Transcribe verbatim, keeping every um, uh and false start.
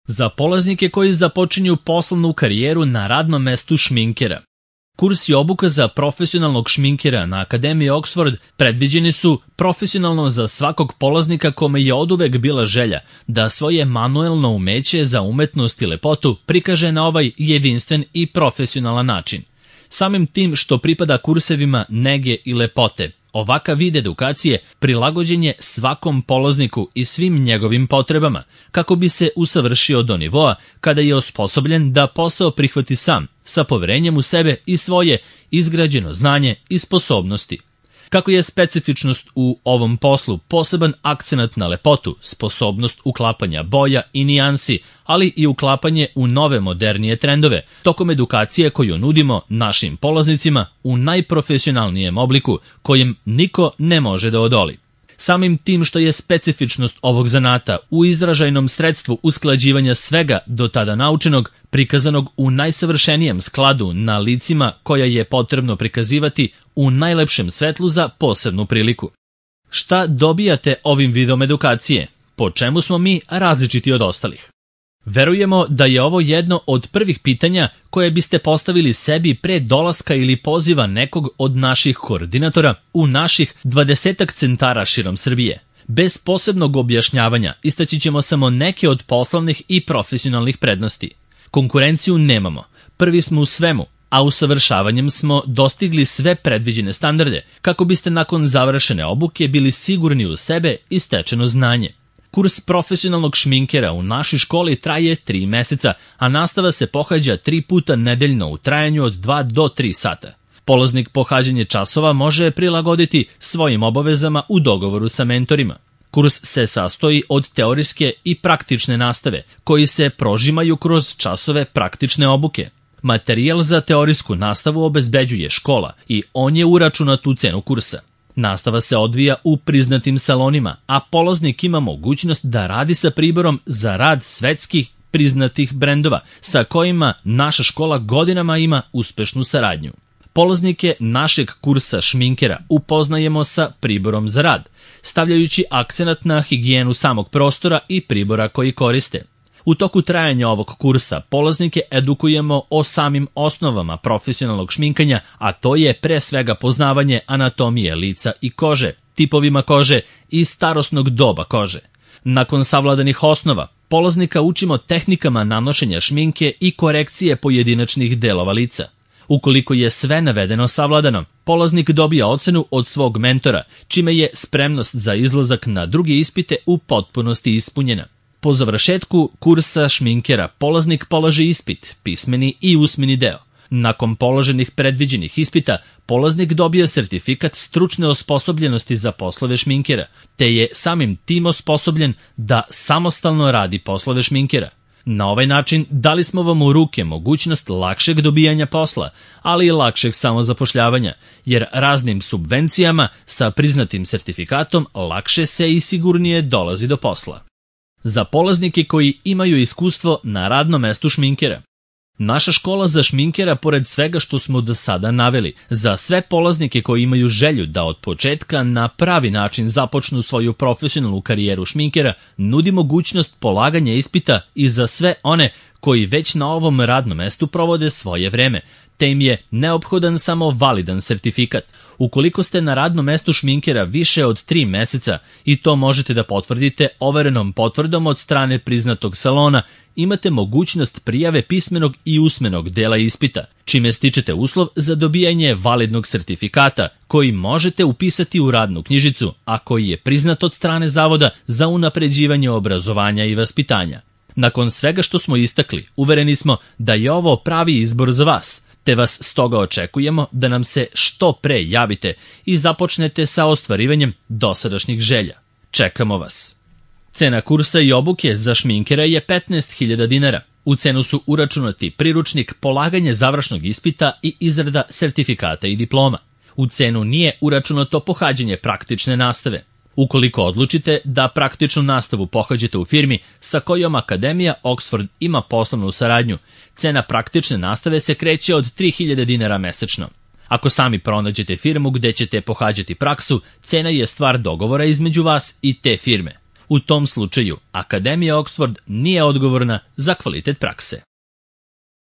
Za polaznike koji započinju poslovnu karijeru na radnom mestu šminkera. Kurs i obuka za profesionalnog šminkera na Akademiji Oxford predviđeni su profesionalno za svakog polaznika kome je oduvek bila želja da svoje manuelno umeće za umetnost i lepotu prikaže na ovaj jedinstven i profesionalan način. Samim tim što pripada kursevima nege i lepote, ovakav vid edukacije prilagođen je svakom polazniku i svim njegovim potrebama, kako bi se usavršio do nivoa kada je osposobljen da posao prihvati sam, sa poverenjem u sebe i svoje izgrađeno znanje i sposobnosti. Kako je specifičnost u ovom poslu poseban akcenat na lepotu, sposobnost uklapanja boja i nijansi, ali i uklapanje u nove modernije trendove, tokom edukacije koju nudimo našim polaznicima u najprofesionalnijem obliku, kojem niko ne može da odoli. Samim tim što je specifičnost ovog zanata u izražajnom sredstvu usklađivanja svega do tada naučenog, prikazanog u najsavršenijem skladu na licima koja je potrebno prikazivati u najlepšem svetlu za posebnu priliku. Šta dobijate ovim vidom edukacije? Po čemu smo mi različiti od ostalih? Verujemo da je ovo jedno od prvih pitanja koje biste postavili sebi pre dolaska ili poziva nekog od naših koordinatora u naših dvadesetak centara širom Srbije. Bez posebnog objašnjavanja istaći ćemo samo neke od poslovnih i profesionalnih prednosti. Konkurenciju nemamo, prvi smo u svemu, a usavršavanjem smo dostigli sve predviđene standarde kako biste nakon završene obuke bili sigurni u sebe i stečeno znanje. Kurs profesionalnog šminkera u našoj školi traje tri meseca, a nastava se pohađa tri puta nedeljno u trajanju od dva do tri sata. Polaznik pohađanje časova može prilagoditi svojim obavezama u dogovoru sa mentorima. Kurs se sastoji od teorijske i praktične nastave, koji se prožimaju kroz časove praktične obuke. Materijal za teorijsku nastavu obezbeđuje škola i on je uračunat u cenu kursa. Nastava se odvija u priznatim salonima, a polaznik ima mogućnost da radi sa priborom za rad svetskih priznatih brendova, sa kojima naša škola godinama ima uspešnu saradnju. Polaznike našeg kursa šminkera upoznajemo sa priborom za rad, stavljajući akcenat na higijenu samog prostora i pribora koji koriste. U toku trajanja ovog kursa polaznike edukujemo o samim osnovama profesionalnog šminkanja, a to je pre svega poznavanje anatomije lica i kože, tipovima kože i starosnog doba kože. Nakon savladanih osnova, polaznika učimo tehnikama nanošenja šminke i korekcije pojedinačnih delova lica. Ukoliko je sve navedeno savladano, polaznik dobija ocenu od svog mentora, čime je spremnost za izlazak na druge ispite u potpunosti ispunjena. Po završetku kursa šminkera polaznik polaže ispit, pismeni i usmeni deo. Nakon položenih predviđenih ispita, polaznik dobija sertifikat stručne osposobljenosti za poslove šminkera, te je samim tim osposobljen da samostalno radi poslove šminkera. Na ovaj način dali smo vam u ruke mogućnost lakšeg dobijanja posla, ali i lakšeg samozapošljavanja, jer raznim subvencijama sa priznatim sertifikatom lakše se i sigurnije dolazi do posla. Za polaznike koji imaju iskustvo na radnom mestu šminkera. Naša škola za šminkera, pored svega što smo do sada naveli, za sve polaznike koji imaju želju da od početka na pravi način započnu svoju profesionalnu karijeru šminkera, nudi mogućnost polaganja ispita i za sve one koji već na ovom radnom mestu provode svoje vreme, te im je neophodan samo validan sertifikat. Ukoliko ste na radnom mestu šminkera više od tri meseca i to možete da potvrdite overenom potvrdom od strane priznatog salona, imate mogućnost prijave pismenog i usmenog dela ispita, čime stičete uslov za dobijanje validnog sertifikata koji možete upisati u radnu knjižicu, a koji je priznat od strane Zavoda za unapređivanje obrazovanja i vaspitanja. Nakon svega što smo istakli, uvereni smo da je ovo pravi izbor za vas, te vas stoga očekujemo da nam se što pre javite i započnete sa ostvarivanjem dosadašnjih želja. Čekamo vas. Cena kursa i obuke za šminkera je petnaest hiljada dinara. U cenu su uračunati priručnik, polaganje završnog ispita i izrada sertifikata i diploma. U cenu nije uračunato pohađanje praktične nastave. Ukoliko odlučite da praktičnu nastavu pohađate u firmi sa kojom Akademija Oxford ima poslovnu saradnju, cena praktične nastave se kreće od tri hiljade dinara mesečno. Ako sami pronađete firmu gde ćete pohađati praksu, cena je stvar dogovora između vas i te firme. U tom slučaju, Akademija Oxford nije odgovorna za kvalitet prakse.